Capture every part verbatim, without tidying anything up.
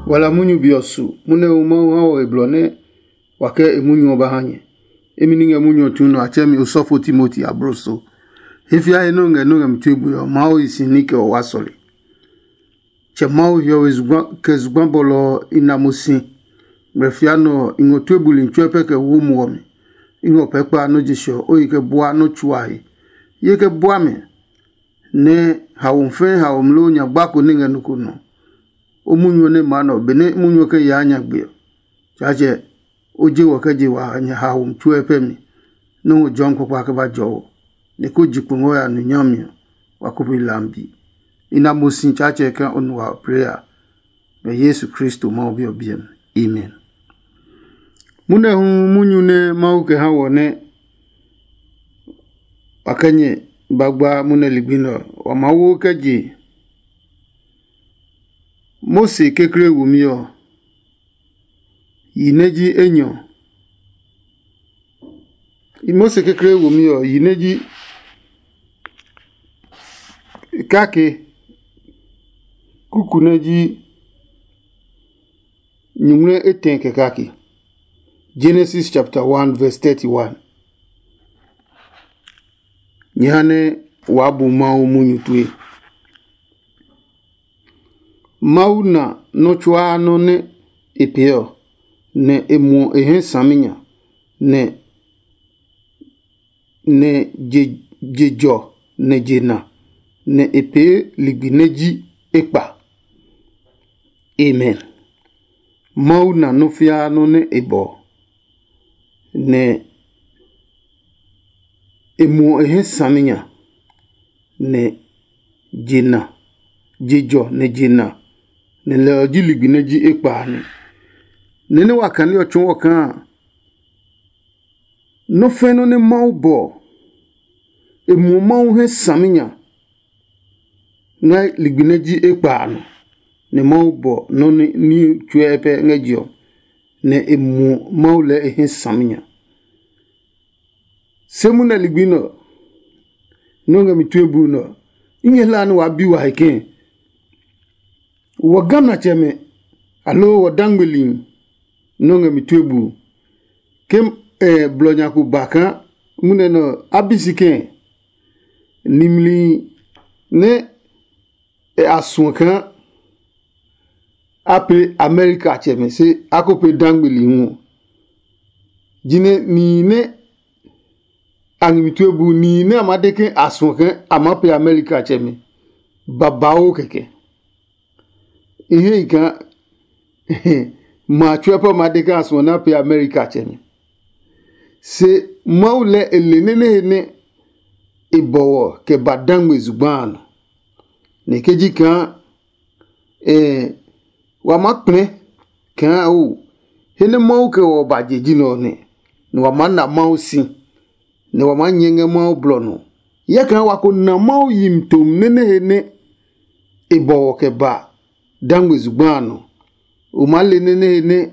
Wala munyu be ɔ su munyu nɛ Mawu ha wɔ he blɔ nɛ wa kɛ e munyu ɔ ba ha nyɛ. Imi ni ngɛ munyu ɔ tsu nɔ a tsɛɛ mi osɔfo Timoti abloso. He fiae nɛ o ngɛ nɛ o ngɛ mi tue bue ɔ, Mawu hi si ní kɛ o wa sɔle. Tsɛ Mawu hiɔwe zugba kɛ zugba bɔlɔ ɔ i na mo si. Ngmlɛ fia nɔ ɔ, i ngɔ tue buli tsuɛ pɛ kɛ wo muɔ mi. I ngɔ pɛɛ kpa nɔ́ je se ɔ, o yi kɛ bua nɔ́ tsuahi. Ye kɛ bua mi, nɛ haomi fɛɛ haomi loo nyagba ko nɛ ngɛ nɔ ko nɔ. O munyu ɔ nɛ maa nɔ benɛ munyu ɔ kɛ yaa nyagbe ɔ, Tsaatsɛ, o je wɔ kɛ je wa nyɛ haomi tsuɛ pɛ mi, nɛ o jɔmi kpakpa kɛ ba jɔ wɔ, nɛ ko ji kpo ngɔ ya nu nyami ɔ, wa ko bi lambi. I na mo si Tsaatsɛ kaa o nu wa plee a, ngɛ Yesu Kristo Mawu Bi ɔ biɛ mi. Amen. Munɛ hu munyu nɛ Mawu kɛ ha wɔ nɛ wa kɛ nyɛ ba gba munɛ ligbi nɛ ɔ, wa maa wo kɛ je Mose kekle womi ɔ, yi nɛ ji enyɔ. Mose kekle womi ɔ, yi nɛ ji kake, kuku nɛ ji nyuŋmlɛ etɛ kɛ kake. Genesis chapter one verse thirty-one. Nyɛ ha nɛ waa bu Mawu munyu tue. Mawu na nɔ́ tsuaa nɔ́ nɛ e pee ɔ, nɛ e muɔ e hɛ saminya, nɛ nɛ je jɔ nɛ je na, nɛ e pee ligbi nɛ ji ekpa. Amen. Mawu na nɔ́ fiaa nɔ́ nɛ e bɔ, nɛ e muɔ e hɛ saminya, nɛ je na, je jɔ nɛ je na, nɛ lɛ ɔ ji ligbi nɛ ji ekpa a nɔ. Nɛ nɛ wa kane ɔ tsɔɔ ɔ kaa nɔ́ fɛ̃ nɔ́ nɛ Mawu bɔ ɔ, e muɔ Mawu hɛ saminya ngɛ ligbi nɛ ji ekpa a nɔ, nɛ Mawu bɔ nɔ́ ní tsuɛ pɛ ngɛ je ɔ, nɛ e muɔ Mawu lɛɛ e hɛ saminya. Se munɛ ligbi nɛ ɔ, nɔ́ ngɛ mi tue buu nɛ ɔ, i nyɛ hlaa nɛ waa bi wa he kɛɛ, wɔ Ghanatsɛmɛ aloo wɔ dangmeli nɔ́ ngɛ mi tue buu. Ke blɔ nya ko ba kaa munɛ nɛ ɔ, a bi si kɛɛ, nimli nɛ a suɔ kaa a pee Amerika tsɛmɛ se a ko pee dangmeli hu ɔ, jinɛ nihi nɛ a ngɛ mi tue buu, nihi nɛ a maa de ke a suɔ ke a maa pee Amerika tsɛmɛ babauu kɛkɛ. I hɛ i kaa ma tsuɛ pɛ maa de ke a suɔ nɛ a pee Amerika tsɛmɛ. Se Mawu lɛ e le nɛ nɛ he nɛ e bɔ wɔ kɛ ba dangme zugba a nɔ. Nɛ ke ji kaa wa maa kplɛ kaa o, he nɛ Mawu kɛ wɔ ba je ji nɛ ɔ nɛ, nɛ wa maa na Mawu si, nɛ wa maa nyɛ ngɛ Mawu blɔ nɔ. Hyɛ kaa wa ko na Mawu yimi tom nɛ nɛ he nɛ e bɔ wɔ kɛ ba dangme zugba a nɔ. O maa le nɛ nɛ he nɛ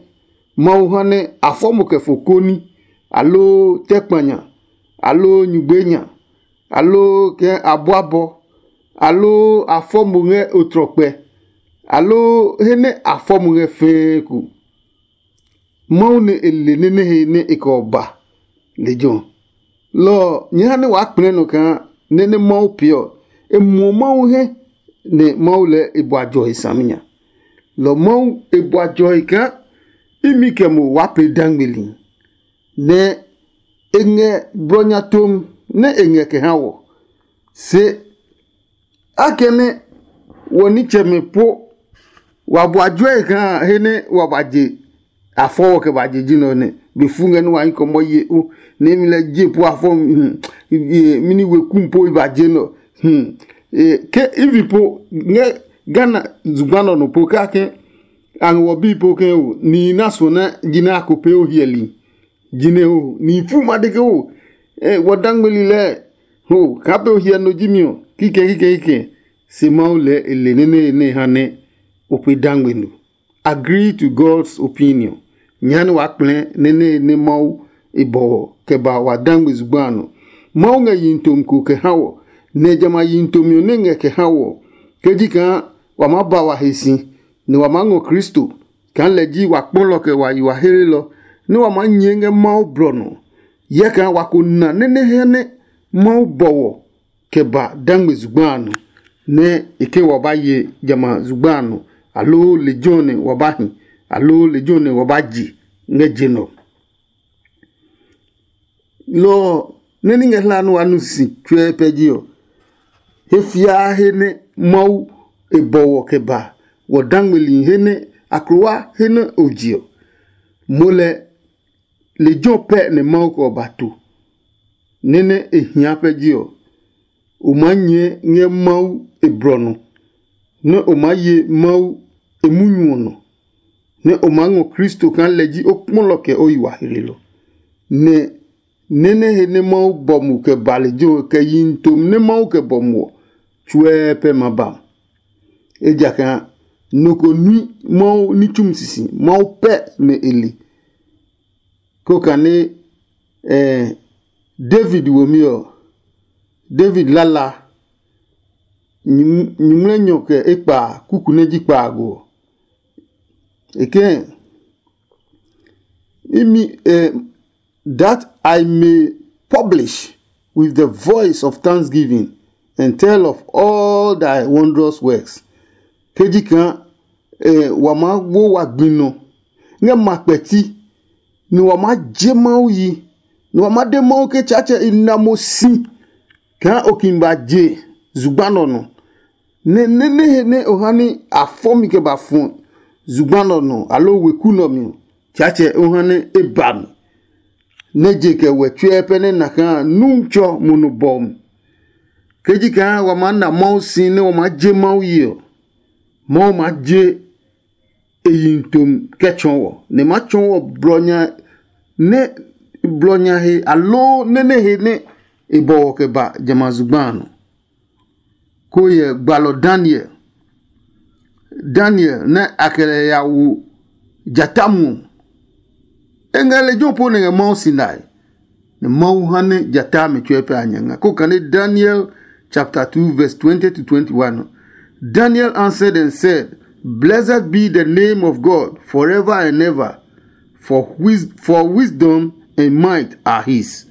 Mawu ha nɛ a fɔ mo kɛ fo koni, aloo tɛ kpanya, aloo nyugbe nya, aloo kɛ abɔ abɔ, aloo a fɔ mo ngɛ otrɔkpɛ, aloo he nɛ a fɔ mo ngɛ fɛɛ ko. Mawu nɛ e le nɛ nɛ he nɛ e kɛ ɔ ba lejɛ ɔ. Lɔ ɔ, nyɛɛ ha nɛ waa kplɛɛ nɔ kaa nɛ nɛ Mawu pee ɔ, e muɔ Mawu hɛ, nɛ Mawu lɛɛ e bua jɔ he saminya. Lɔ Mawu e bua jɔ he kaa imi kɛ mo waa pee dangmeli, nɛ e ngɛ blɔ nya tom nɛ e ngɛ kɛ ha wɔ. Se akɛnɛ wɔ nitsɛmɛ po wa bua juɛ kaa he nɛ wa ba je a fɔ wɔ kɛ ba je ji nɛ ɔ nɛ be fu ngɛ nɛ wa hi kɔmɔ ye o, nɛ mi lɛ je po a fɔ mini wekum po i ba je nɛ ɔ. Ke ivi po ngɛ Ghana zugba nɔ nɔ po kake a ngɛ wɔ bi po ke o nihi na suɔ nɛ ji nɛ a ko pee o hiɛli. Jinɛ ho ni fu ma de ke ho wɔ dangmeli lɛɛ ho kaa pɛ o hiɛ no ji mi ɔ kikɛ kikɛ kikɛ. Se Mawu lɛɛ e le nɛ nɛ nɛ ha nɛ o pe dangme no. Agree to God's opinion. Nya nɛ waa kplɛ nɛ nɛ nɛ Mawu e bɔ wɔ kɛ ba wa dangme zugba a nɔ. Mawu ngɛ yihi tomi ko kɛ ha wɔ, nɛ jamɛ a yihi tomi ɔ nɛ ngɛ kɛ ha wɔ ke ji kaa wa maa ba wa he si, nɛ wa maa ngɔ Kristo kaa lɛ ji wa kpɔlɔ kɛ wa yi wa helelɔ, nɛ wa maa nyɛɛ ngɛ Mawu blɔ nɔ. Yɛ kaa wa ko na nɛ nɛ hɛ nɛ Mawu bɔ wɔ kɛ ba dangme zugba a nɔ, nɛ e ke wa ba ye jamɛ a zugba a nɔ, aloo lejɛ ɔ nɛ wa ba hi, aloo lejɛ ɔ nɛ wa ba je ngɛ je nɛ ɔ. Lɔ ɔ, nɛ ní ngɛ hla nɛ wa nu si tsuɛ pɛ ji ɔ, he fiaa he nɛ Mawu e bɔ wɔ kɛ ba wɔ dangmeli he nɛ aklowa he nɛ o je ɔ, mo lɛ lejɛ ɔ pɛ nɛ Mawu kɛ ɔ ba to, nɛ nɛ e hia pɛ ji ɔ, o maa nyɛɛ ngɛ Mawu e blɔ nɔ, nɛ o maa ye Mawu e munyu ɔ nɔ, nɛ o maa ngɔ Kristo kaa lɛ ji o kpɔlɔ kɛ o yi wa helelɔ. Nɛ nɛ nɛ he nɛ Mawu bɔ mo kɛ ba lejɛ ɔ kɛ yihi tom nɛ Mawu kɛ bɔ mo ɔ, tsuɛ pɛ ma ba mo. Ejakaa nɔ ko nui Mawu ní tsumi sisi, Mawu pɛ nɛ e le. Ko kane eh, David womi ɔ, David lala nyuŋmlɛnyɔ kɛ ekpa kuku nɛ ji kpaago ɔ. E kɛ̃ imi eh, that I may publish with the voice of thanksgiving and tell of all thy wondrous works. Ke ji kaa eh, wa maa wo wa gbi nɔ ngɛ ma kpɛti, nɛ wa maa je Mawu yi, nɛ wa maa de Mawu ke Tsaatsɛ i na mo si kaa o kin ba je zugba nɛ ɔ nɔ. Nɛ nɛ nɛ he nɛ o ha ní a fɔ mi kɛ ba fɔ zugba nɛ ɔ nɔ aloo weku nɛ ɔ mi ɔ, Tsaatsɛ o ha nɛ e ba mi, nɛ je kɛ wɛ tsuɛ pɛ nɛ na kaa Nuntsɔ mo nɔ bɔ mi. Ke ji kaa wa maa na Mawu si nɛ wa maa je Mawu yi ɔ, Mawu maa je e yi tom kɛ tsɔɔ wɔ, nɛ ma tsɔɔ wɔ blɔ nya nɛ blɔ nya he aloo nɛ nɛ he nɛ e bɔ wɔ kɛ ba jamɛ a zugba a nɔ. Ko hyɛ gbalɔ Daniel, Daniel nɛ a kɛ lɛ ya wo jata muɔ. E ngɛ lejɛ ɔ po nɛ ngɛ Mawu si nae, nɛ Mawu ha nɛ jata mi tsuɛ pɛ a nya nga. Ko kane Daniel chapter two verse twenty to twenty-one ɔ. Daniel answered and said, "Blessed be the name of God forever and ever, for, wis- for wisdom and might are his."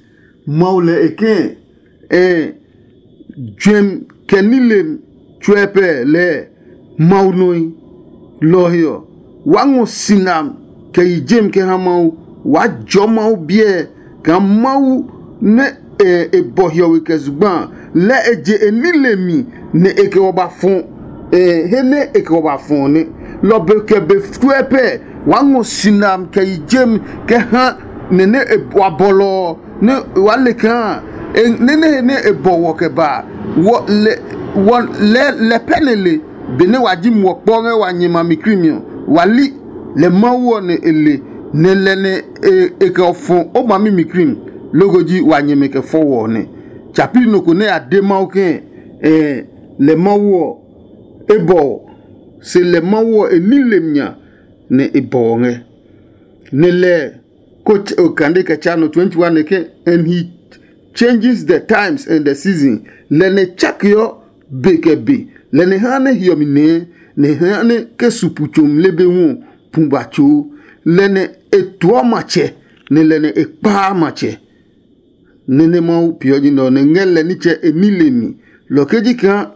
Mawu lɛ e kɛ̃ eh, juɛmi kɛ nilem tsuɛ pɛ lɛɛ Mawu nɔe. Lɔ ɔ he ɔ, waa ngɔ sina kɛ yi jem kɛ ha Mawu. Waa jɔɔ Mawu biɛ kaa Mawu nɛ e bɔ hiɔwe kɛ zugba a, lɛ e je e nile mi nɛ e kɛ wɔ ba fɔ he nɛ e kɛ wɔ ba fɔ ɔ nɛ. Lɔ be kɛ be tsuɛ pɛ waa ngɔ sina kɛ yi jem kɛ ha nɛ nɛ e wa bɔlɔ ɔ nɛ waa le kaa nɛ nɛ he nɛ e bɔ wɔ kɛ ba a, wɔ lɛ wɔ lɛ lɛ pɛ nɛ le. Benɛ wa ji muɔ kpɔ ngɛ wa nyɛ ma mi krimi ɔ, wa li lɛ Mawu ɔ nɛ e le, nɛ lɛ nɛ e kɛ fɔ o ma mi mi krimi, loko ji wa nyɛmɛ kɛ fɔ wɔ ɔ nɛ. Tsapi nɔ ko nɛ a de Mawu ke lɛ Mawu ɔ e bɔ ɔ, se lɛ Mawu ɔ e ní lemi nya nɛ e bɔ ɔ ngɛ. Nɛ lɛ ko kande kɛ tsa nɔ twenty-one nɛ ke, "And he changes the times and the season." Lɛ nɛ tsakeɔ be kɛ be, lɛ nɛ haa nɛ hiɔmi nɛɛ, nɛ haa nɛ ke su pu tso mle be hu ɔ pu ba tsoo. Lɛ nɛ e tuɔ matsɛ, nɛ lɛ nɛ e kpaa matsɛ. Nɛ́ nɛ Mawu peeɔ ji nɛ ɔ nɛ ngɛ lɛ nitsɛ e ní le mi. Lɔ ke ji kaa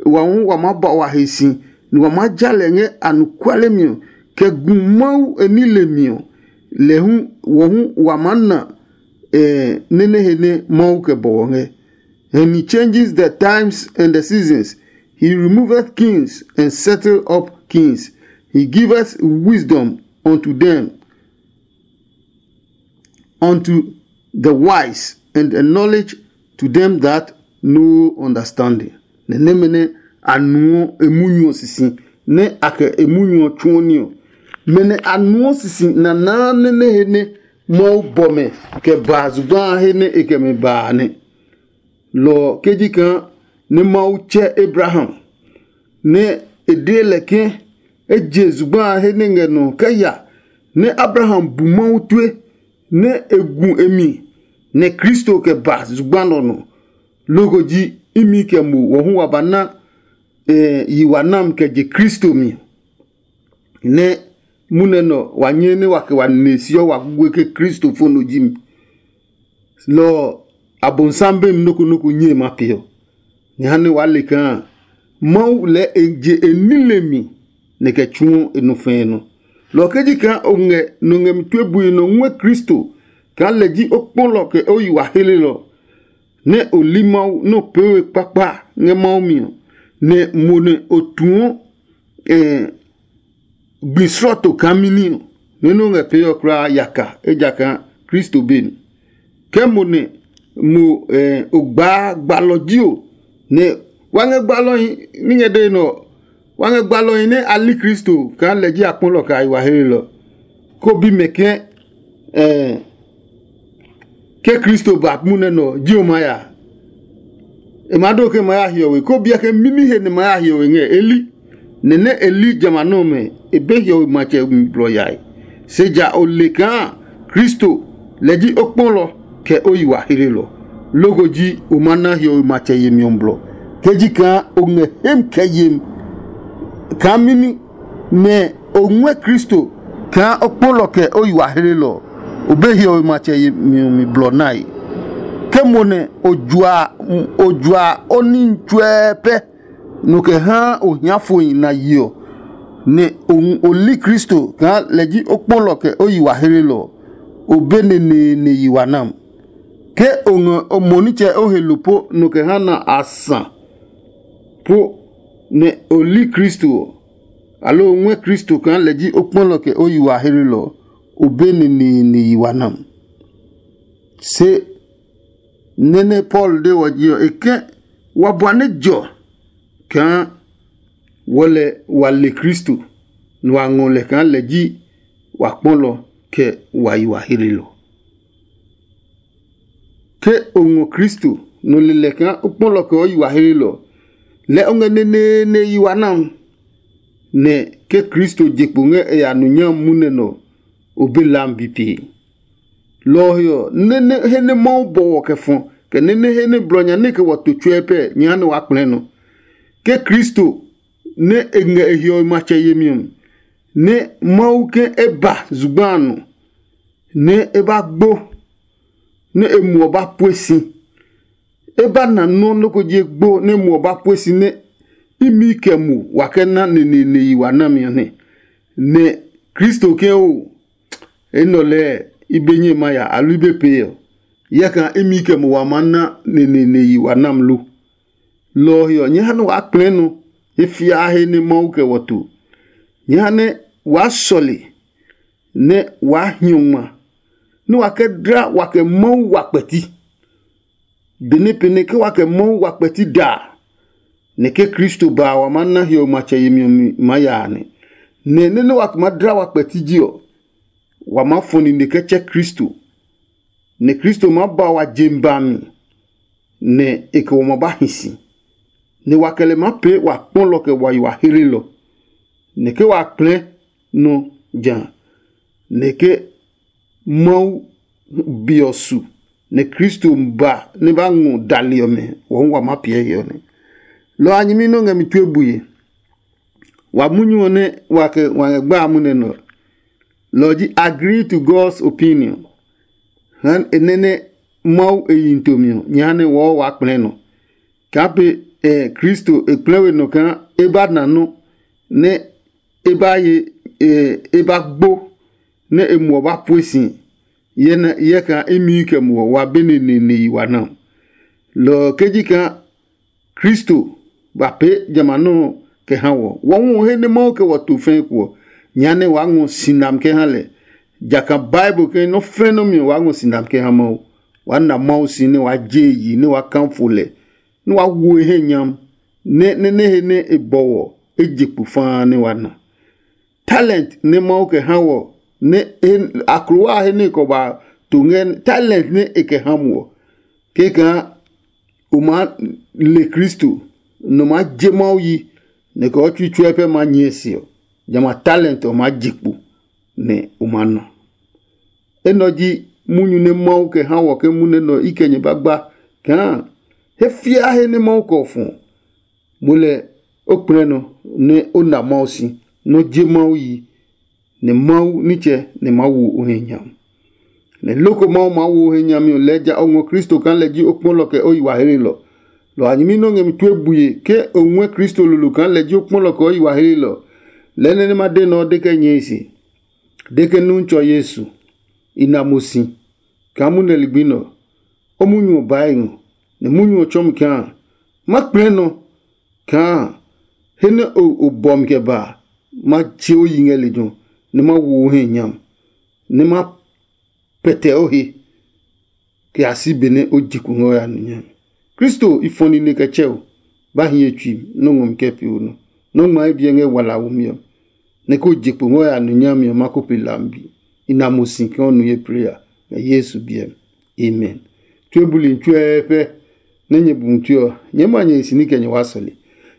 wa hu wa maa ba wa he si, nɛ wa maa ja lɛ ngɛ anɔkuale mi ɔ, kɛ gu Mawu e ní le mi ɔ, lɛ hu wɔ hu wa maa na nɛ nɛ he nɛ Mawu kɛ bɔ wɔ ngɛ. And he changes the times and the seasons. He removeth kings and settle up kings. He giveth wisdom unto them, unto the wise, and a knowledge to them that know understanding. Nɛ nɛmɛ nɛ a nuɔ emunyu ɔ sisi, nɛ a kɛ emunyu ɔ tsuɔ ní ɔ. Mɛ nɛ a nuɔ sisi nanaa nɛ nɛ he nɛ Mawu bɔ mɛ kɛ ba zugba a he nɛ e kɛ mɛ ba a nɛ. Lɔ ɔ ke ji kaa nɛ Mawu tsɛ Abraham, nɛ e de lɛ ke e je zugba a he nɛ ngɛ nɔ kɛ ya, nɛ Abraham bu Mawu tue, nɛ e gu e mi, nɛ Kristo kɛ ba zugba nɛ ɔ nɔ. Loko ji imi kɛ mo wɔ hu wa ba na yi wa nam kɛ je Kristo mi. Nɛ munɛ nɛ ɔ, wa nyɛɛ nɛ wa kɛ wa nine siɔ wa gugue ke Kristo fo no ji mi. Lɔ ɔ, Abonsam be mi nɔ́ ko nɔ́ ko nyɛe ma peeɔ. Jehanɛ waa le kaa Mawu lɛɛ e je e nile mi nɛ kɛ tsuɔ e nɔ fɛɛ nɔ. Lɔ ɔ ke ji kaa o ngɛ nɔ ngɛ mi tue bui nɔ ngɔɛ Kristo kaa lɛ ji o kpɔlɔ kɛ o yi wa helelɔ, nɛ o li Mawu nɛ o pee we kpakpa ngɛ Mawu mi ɔ, nɛ mo nɛ o tuɔ gbi slɔɔto kaa mɛni ɔ, nɛ nɛ o ngɛ pee ɔ kulaa yaka, ejakaa Kristo be mi. Ke mo nɛ mo o gbaa gbalɔ ji o, nɛ wa ngɛ gbalɔhi ní ngɛ dee nɛ ɔ, wa ngɛ gbalɔhi nɛ a li Kristo kaa lɛ ji akpɔlɔ kɛ a yi wa helelɔ, ko bi mɛ ke ke Kristo ba munɛ nɛ ɔ, ji o maa ya? E maa do ke ma ya hiɔwe, ko biɛ ke mɛni he nɛ ma ya hiɔwe ngɛ e li. Nɛ nɛ e li jamɛ a nɔmɛ, e be hiɔwe matsɛ mi blɔ yae. Se ja o le kaa Kristo lɛ ji o kpɔlɔ kɛ o yi wa helelɔ. Loko ji o ma na hiɔwe matsɛ yemi ɔ blɔ. Ke ji kaa o ngɛ hem kɛ yem kaa mɛni nɛ o ngɔɛ Kristo kaa o kpɔlɔ kɛ o yi wa helelɔ, o be hiɔwe matsɛ yemi ɔ mi blɔ nae. Ke mo nɛ o jua o jua o ní tsuɛ pɛ, nɔ kɛ haa o hia fohi na yi ɔ, nɛ o li Kristo kaa lɛ ji o kpɔlɔ kɛ o yi wa helelɔ ɔ, o be neneene yi wa nam. Ke o ngɛ o mo nitsɛ o he lo po nɔ kɛ ha na a sa po, nɛ o li Kristo ɔ, aloo o ngɔɛ Kristo kaa lɛ ji o kpɔlɔ kɛ o yi wa helelɔ ɔ, o be neneene yi wa nam. Se nɛ nɛ Paulo de wɔ ji ɔ, e ke wa bua nɛ jɔ kaa wɔ lɛ wa le Kristo, nɛ wa ngɔ lɛ kaa lɛ ji wa kpɔlɔ kɛ wa yi wa helelɔ. Ke o ngɔ Kristo, nɔ lelɛ kaa o kpɔlɔ kɛ o yi wa helelɔ, lɛ o ngɛ neneene yi wa nam, nɛ ke Kristo je kpo ngɛ e ya nu nyami munɛ nɛ ɔ, o be lam bi pee. Lɔ ɔ he ɔ, nɛ he nɛ Mawu bɔ wɔ kɛ fɔ, kɛ nɛ he nɛ blɔ nya nɛ kɛ wɔ to tsuɛ pɛ, nyɛ ha nɛ waa kplɛɛ nɔ. Ke Kristo nɛ e ngɛ e hiɔwe matsɛ yemi ɔ, nɛ Mawu ke e ba zugba a nɔ, nɛ e ba gbo, nɛ e muɔ ba pue si. E ba na nɔ́ nɔ́ ko ji egbo nɛ muɔ ba pue si nɛ imi kɛ mo wa kɛ na neneene yi wa nami ɔ nɛ. Nɛ Kristo ke o, enɛ ɔ lɛɛ i be nyɛ ma ya aloo i be pee ɔ, yɛkaa imi kɛ mo wa maa na neneene yi wa nam lo? Lɔ ɔ he ɔ, nyɛ ha nɛ waa kplɛɛ nɔ he fiaa he nɛ Mawu kɛ wɔ to. Nyɛ ha nɛ waa sɔle, nɛ waa hiɔ ngma, nɛ wa kɛ dla wa kɛ Mawu wa kpɛti. Benɛ pɛnɛ ke wa kɛ Mawu wa kpɛti da a, nɛ ke Kristo ba a, wa maa na hiɔwe matsɛ yemi ɔ mi maa ya a nɛ. Nɛ nɛ nɛ wa maa dla wa kpɛti ji ɔ, wa maa fɔ nine kɛ tsɛ Kristo, nɛ Kristo maa ba wa je mi ba mi, nɛ e kɛ wa ma ba hi si, nɛ wa kɛ lɛ maa pee wa kpɔlɔ kɛ wa yi wa hlelɔ, nɛ ke wa kplɛɛ nɔ ja, nɛ ke Mawu Bi ɔ su, nɛ Kristo ba nɛ ba ngɔ dali ɔmɛ ɔ hu wa maa piɛ he ɔ nɛ. Lɔ ɔ a nyɛmi nɛ o ngɛ mi tue bue. Wa munyu ɔ nɛ wa kɛ wa ngɛ gba a munɛ nɛ ɔ, lɔ ɔ ji agree to God's opinion. Ha e nɛ nɛ Mawu e yi tomi ɔ, nyɛ ha nɛ wɔɔ waa kplɛɛ nɔ. Kaa pe ɛ Kristo e kplɛɛ we nɔ kaa e ba na nɔ́ nɛ e ba ye e ba gbo nɛ e muɔ ba pue si yɛ kaa imi kɛ muɔ wa be neneene yi wa na. Lɔ ɔ ke ji kaa Kristo ba pee jamɛ a nɔ́ ɔ kɛ ha wɔ. Wɔ hu ɔ he nɛ Mawu kɛ wɔ to fɛɛ ko ɔ, nyɛ ha nɛ waa ngɔ si nami kɛ ha lɛ. Jakaa Bible ke nɔ́ fɛ̃ nɔ́ mi ɔ waa ngɔ si nami kɛ ha Mawu. Waa na Mawu si nɛ waa je e yi nɛ waa kafo lɛ, nɛ waa wo e hɛ nyam, nɛ nɛ nɛ he nɛ e bɔ wɔ e je kpo faa nɛ waa na. Talent nɛ Mawu kɛ ha wɔ nɛ aklowa he nɛ e kɔ ba to ngɛ talent nɛ e kɛ ha mo ɔ, kɛkaa o maa le Kristo, nɔ maa je Mawu yi, nɛ kɛ o tsui tsuɛ pɛ maa nyɛɛ se ɔ, jamɛ a talent ɔ maa je kpo, nɛ o maa na. Enɛ ɔ ji munyu nɛ Mawu kɛ ha wɔ ke munɛ nɛ ɔ i kɛ nyɛ ba gba kaa he fiaa he nɛ Mawu kɛ ɔ fɔ ɔ, mo lɛ o kplɛ nɔ nɛ o na Mawu si, nɛ o je Mawu yi, nɛ Mawu nitsɛ nɛ maa wo o he nya. Nɛ loko Mawu maa wo o he nyami ɔ lɛɛ ja o ngɔ Kristo kaa lɛ ji o kpɔlɔ kɛ o yi wa hlelɔ. Lɔ a nyɛmi nɔ́ ngɛ mi tue bue ke o ngɔɛ Kristo lolo kaa lɛ ji o kpɔlɔ kɛ o yi wa hlelɔ. Lɛɛ nɛ nɛ ma de nɛ ɔ de kɛ nyɛe se, de ke Nuntsɔ Yesu, i na mo si kaa munɛ ligbi nɛ ɔ, o munyu ɔ baa e ngɔ, nɛ munyu ɔ tsɔ mi kaa ma kplɛ nɔ kaa he nɛ o bɔ mi kɛ ba a, ma je o yi ngɛ lejɛ ɔ, nɛ ma wo o he nyami, nɛ ma pɛtɛ o he kɛ ya si benɛ o je kpo ngɛ o ya nu nyami. Kristo i fɔ nine kɛ tsɛ o, ba hi ye tsui mi nɔ́ ngɔ mi kɛ pee o nɔ. Nɔ́ ngma ye biɛ ngɛ wala womi ɔ, nɛ ko je kpo ngɛ o ya nu nyami ɔ, ma ko pe hlami bi. I na mo si kaa o nu ye plee a, ngɛ Yesu biɛ mi. Amen. Tue buli tsuɛ pɛ nɛ nyɛ bu tue ɔ, nyɛɛ ma nyɛ hi si ní kɛ nyɛ waa sɔle.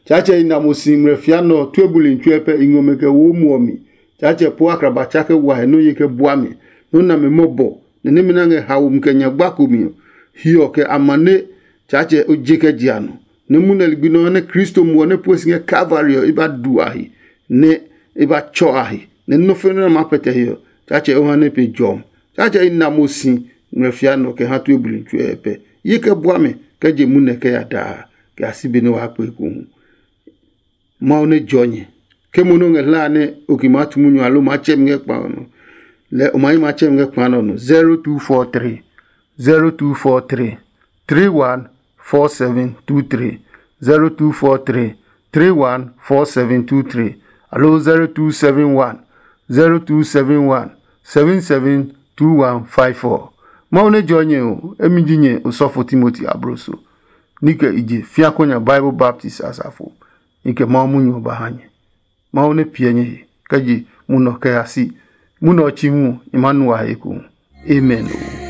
Tsaatsɛ i na mo si ngmlɛ fia nɛ ɔ, tue buli tsuɛ pɛ i ngɔ mɛ kɛ wo muɔ mi. Tsaatsɛ po akraba tsa kɛ wa he nɔ́ ye kɛ bua mi, nɔ́ na mi mɔbɔ, nɛ nɛmɛ nɛ a ngɛ haomi kɛ nyagba ko mi ɔ, hiɔ kɛ amane. Tsaatsɛ o je kɛ je a nɔ, nɛ munɛ ligbi nɛ ɔ nɛ Kristo muɔ nɛ pue si ngɛ Kalvari ɔ, i ba du a he, nɛ i ba tsɔ a he, nɛ nɔ́ fɛnɛ nɛ a maa pɛtɛ he ɔ, Tsaatsɛ o ha nɛ pe jɔmi. Tsaatsɛ i na mo si ngmlɛ fia nɛ ɔ kɛ ha tue buli tsuɛ pɛ. Ye kɛ bua mɛ kɛ je munɛ kɛ ya daa, kɛ ya si be nɛ waa kpe ekohu. Mawu nɛ jɔ nyɛ. Ke mo nɛ o ngɛ hlaa nɛ o ki maa tu munyu alo maa tsɛ mi ngɛ kpa ɔ nɔ, lɛɛ o ma yi maa tsɛ mi ngɛ kpa nɛ ɔ nɔ. Zero two four three, zero two four three, three one four seven two three, zero two four three, three one four seven two three, alo zero two seven one, zero two seven one, seven seven two one five four. Mawu nɛ jɔ nyɛ o, emi ji nyɛ osɔfo Timoti abloso. Ni kɛ i je fia ko nya Bible Baptist asafo. I kɛ Mawu munyu ɔ ba ha nyɛ. Mawu nɛ piɛ nyɛ he kɛ je munɔ kɛ ya si. Munɔ ɔ chi hu ɔ, i maa nu a he ekohu. Amen.